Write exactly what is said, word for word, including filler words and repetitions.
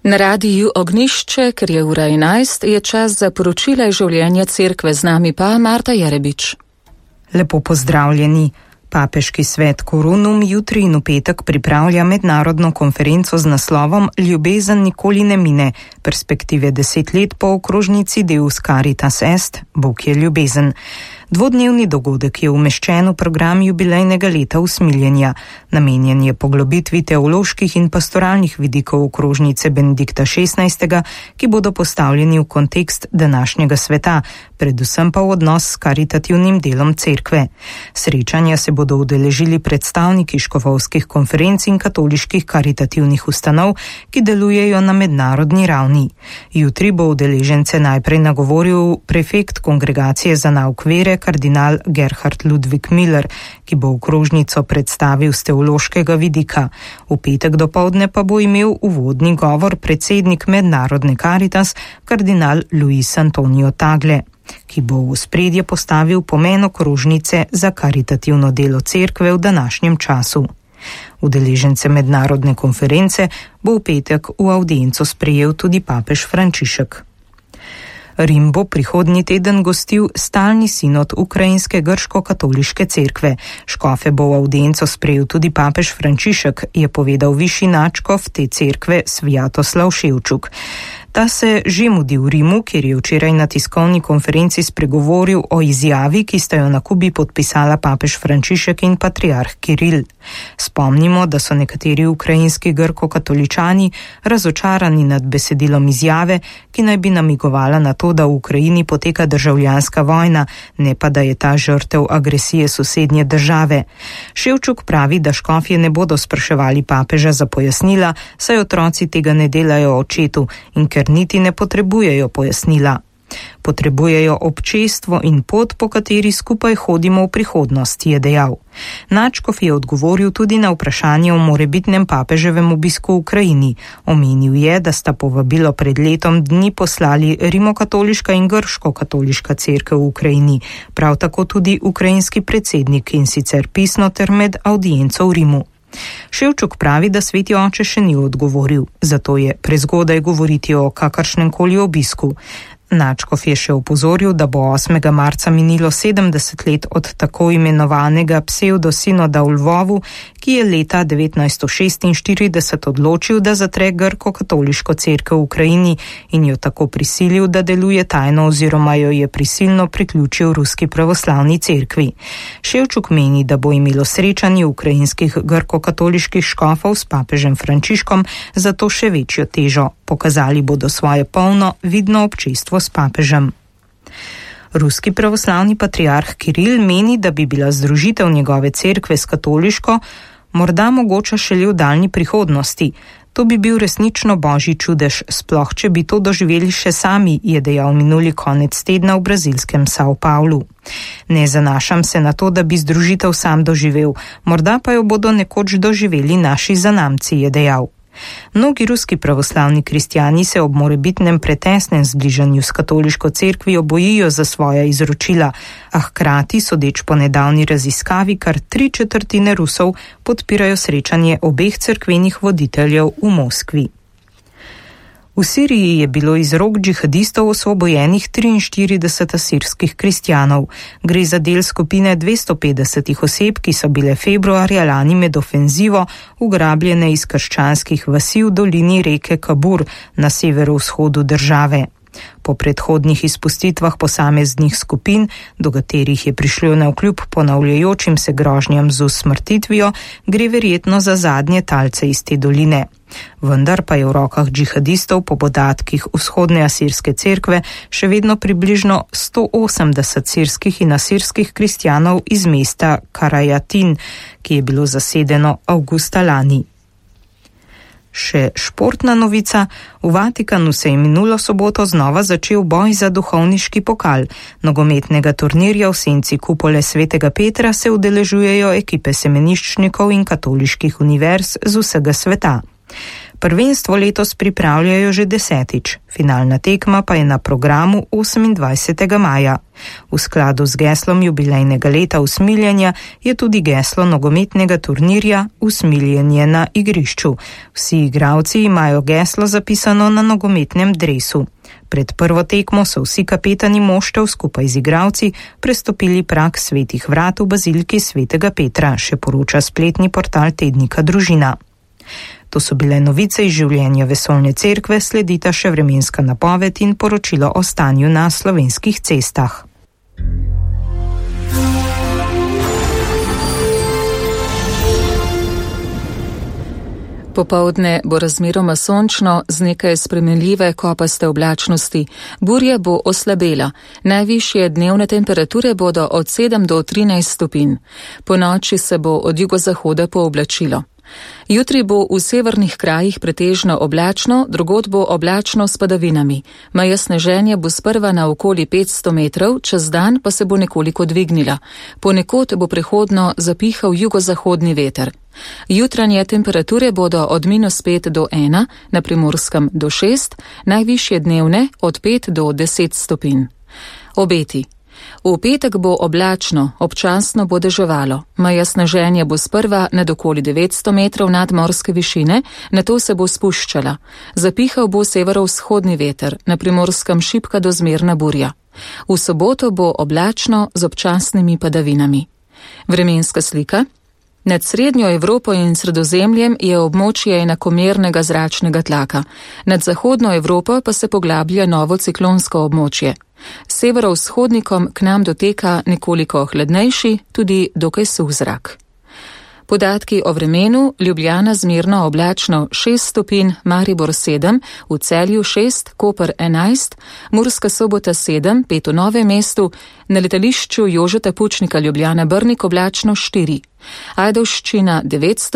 Na radiju Ognišče, ker je ura enajst, je čas za poročila iz življenja cerkve, z nami pa Marta Jerebič. Lepo pozdravljeni. Papeški svet Korunum jutri in v petek pripravlja mednarodno konferenco z naslovom Ljubezen nikoli ne mine, perspektive deset let po okrožnici Deus Caritas Est, Bog je ljubezen. Dvodnevni dogodek je umeščen v program jubilejnega leta usmiljenja. Namenjen je poglobitvi teoloških in pastoralnih vidikov okrožnice Benedikta šestnajstega, ki bodo postavljeni v kontekst današnjega sveta, predvsem pa v odnos s karitativnim delom cerkve. Srečanja se bodo udeležili predstavniki škofovskih konferenc in katoliških karitativnih ustanov, ki delujejo na mednarodni ravni. Jutri bo udeležence najprej nagovoril prefekt Kongregacije za nauk vere, kardinal Gerhard Ludwig Miller, ki bo okrožnico predstavil z teološkega vidika. V petek dopoldne pa bo imel uvodni govor predsednik Mednarodne Caritas, kardinal Luis Antonio Tagle, ki bo v ospredje postavil pomen okrožnice za karitativno delo cerkve v današnjem času. Udeležence mednarodne konference bo v petek v avdienco sprejel tudi papež Frančišek. Rim bo prihodnji teden gostil stalni sinod ukrajinske grško-katoliške cerkve. Škofe bo v avdienco sprejel tudi papež Frančišek, je povedal višji nadškof te cerkve Svjatoslav Ševčuk. Ta se že mudi v Rimu, kjer je včeraj na tiskovni konferenci spregovoril o izjavi, ki sta jo na Kubi podpisala papež Frančišek in patriarh Kiril. Spomnimo, da so nekateri ukrajinski grko-katoličani razočarani nad besedilom izjave, ki naj bi namigovala na to, da v Ukrajini poteka državljanska vojna, ne pa da je ta žrtev agresije sosednje države. Ševčuk pravi, da škofje ne bodo spraševali papeža za pojasnila, saj otroci tega ne delajo očetu in ker niti ne potrebujejo pojasnila. Potrebujejo občestvo in pot, po kateri skupaj hodimo v prihodnost, je dejal. Nadškof je odgovoril tudi na vprašanje o morebitnem papeževem obisku v Ukrajini. Omenil je, da sta povabilo pred letom dni poslali rimokatoliška in grško-katoliška cerkev v Ukrajini, prav tako tudi ukrajinski predsednik, in sicer pisno ter med avdienco v Rimu. Ševčuk pravi, da sveti oče še ni odgovoril, zato je prezgodaj govoriti o kakršnemkoli obisku. Nadškof je še opozoril, da bo osmega marca minilo sedemdeset let od tako imenovanega psevdosinoda v Lvovu, ki je leta devetnajststo šestinštirideset odločil, da zatre grko-katoliško cerkev v Ukrajini in jo tako prisilil, da deluje tajno oziroma jo je prisilno priključil ruski pravoslavni cerkvi. Ševčuk meni, da bo imelo srečanje ukrajinskih grko-katoliških škofov s papežem Frančiškom zato še večjo težo. Pokazali bodo svoje polno, vidno občestvo s papežem. Ruski pravoslavni patriarh Kiril meni, da bi bila združitev njegove cerkve s katoliško morda mogoča šele v daljni prihodnosti. To bi bil resnično božji čudež, sploh če bi to doživeli še sami, je dejal minuli konec tedna v brazilskem São Paulo. Ne zanašam se na to, da bi združitev sam doživel, morda pa jo bodo nekoč doživeli naši zanamci, je dejal. Mnogi ruski pravoslavni kristjani se ob morebitnem pretesnem zbližanju s katoliško cerkvijo bojijo za svoja izročila, a hkrati, sodeč po nedavni raziskavi, kar tri četrtine Rusov podpirajo srečanje obeh cerkvenih voditeljev v Moskvi. V Siriji je bilo iz rok džihadistov osvobojenih triinštirideset asirskih kristjanov. Gre za del skupine dvesto petdeset oseb, ki so bile februarja lani med ofenzivo ugrabljene iz krščanskih vasi v dolini reke Kabur na severovzhodu države. Po predhodnih izpustitvah posameznih skupin, do katerih je prišlo navkljub ponavljajočim se grožnjam z usmrtitvijo, gre verjetno za zadnje talce iz te doline. Vendar pa je v rokah džihadistov po podatkih vzhodne asirske cerkve še vedno približno sto osemdeset sirskih in asirskih kristjanov iz mesta Karajatin, ki je bilo zasedeno avgusta lani. Še športna novica. V Vatikanu se je minulo soboto znova začel boj za duhovniški pokal. Nogometnega turnirja v senci kupole svetega Petra se udeležujejo ekipe semeniščnikov in katoliških univerz z vsega sveta. Prvenstvo letos pripravljajo že desetič, finalna tekma pa je na programu osemindvajsetega maja. V skladu z geslom jubilejnega leta usmiljenja je tudi geslo nogometnega turnirja Usmiljenje na igrišču. Vsi igralci imajo geslo zapisano na nogometnem dresu. Pred prvo tekmo so vsi kapetani moštev skupaj z igralci prestopili prag Svetih vrat v baziliki Svetega Petra, še poroča spletni portal tednika Družina. To so bile novice iz življenja vesoljne cerkve, sledita še vremenska napoved in poročilo o stanju na slovenskih cestah. Popoldne bo razmeroma sončno z nekaj spremenljive kopaste oblačnosti. Burja bo oslabela. Najvišje dnevne temperature bodo od sedem do trinajst stopinj. Po noči se bo od jugozahoda pooblačilo. Jutri bo v severnih krajih pretežno oblačno, drugod bo oblačno s padavinami. Meja sneženja bo sprva na okoli petsto metrov, čez dan pa se bo nekoliko dvignila. Ponekod bo prehodno zapihal jugozahodni veter. Jutranje temperature bodo od minus pet do ena, na Primorskem do šest, najvišje dnevne od pet do deset stopinj. Obeti. V petek bo oblačno, občasno bo deževalo. Meja sneženja bo sprva nad okoli devetsto metrov nadmorske višine, nato se bo spuščala. Zapihal bo severovzhodni veter, na Primorskem šibka do zmerna burja. V soboto bo oblačno z občasnimi padavinami. Vremenska slika. Nad srednjo Evropo in Sredozemljem je območje enakomernega zračnega tlaka. Nad zahodno Evropo pa se poglablja novo ciklonsko območje. Severovzhodnikom k nam doteka nekoliko hladnejši, tudi dokaj suh zrak. Podatki o vremenu: Ljubljana zmerno oblačno šest stopinj, Maribor sedem, v Celju šest, Koper enajst, Murska Sobota sedem, pet v Novem mestu, na letališču Jožeta Pučnika Ljubljana Brnik oblačno štiri, Ajdovščina devet stopinj,